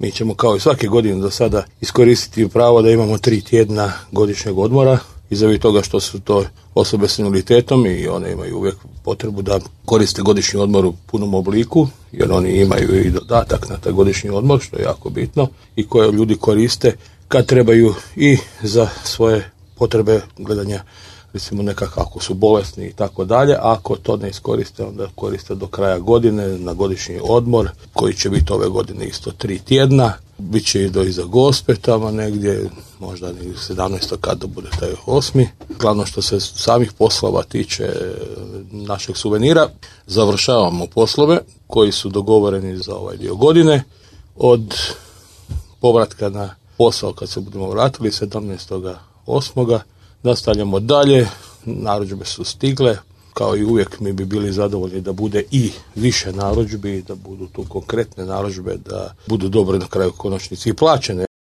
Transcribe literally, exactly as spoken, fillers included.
Mi ćemo kao i svake godine do sada iskoristiti pravo da imamo tri tjedna godišnjeg odmora izavi toga što su to osobe s invaliditetom i one imaju uvijek potrebu da koriste godišnji odmor u punom obliku, jer oni imaju i dodatak na taj godišnji odmor, što je jako bitno, i koje ljudi koriste kad trebaju i za svoje potrebe gledanja, recimo nekako ako su bolesni i tako dalje. Ako to ne iskoriste, onda koriste do kraja godine na godišnji odmor, koji će biti ove godine isto tri tjedna. Biće i do iza Gospe tamo negdje, možda ni sedamnaestog kada bude taj osmi. Glavno što se samih poslova tiče našeg suvenira, završavamo poslove koji su dogovoreni za ovaj dio godine. Od povratka na posao kad se budemo vratili sedamnaestog osmog nastavljamo dalje, narudžbe su stigle, kao i uvijek mi bi bili zadovoljni da bude i više narudžbi, da budu tu konkretne narudžbe, da budu dobro na kraju konačnici i plaćene.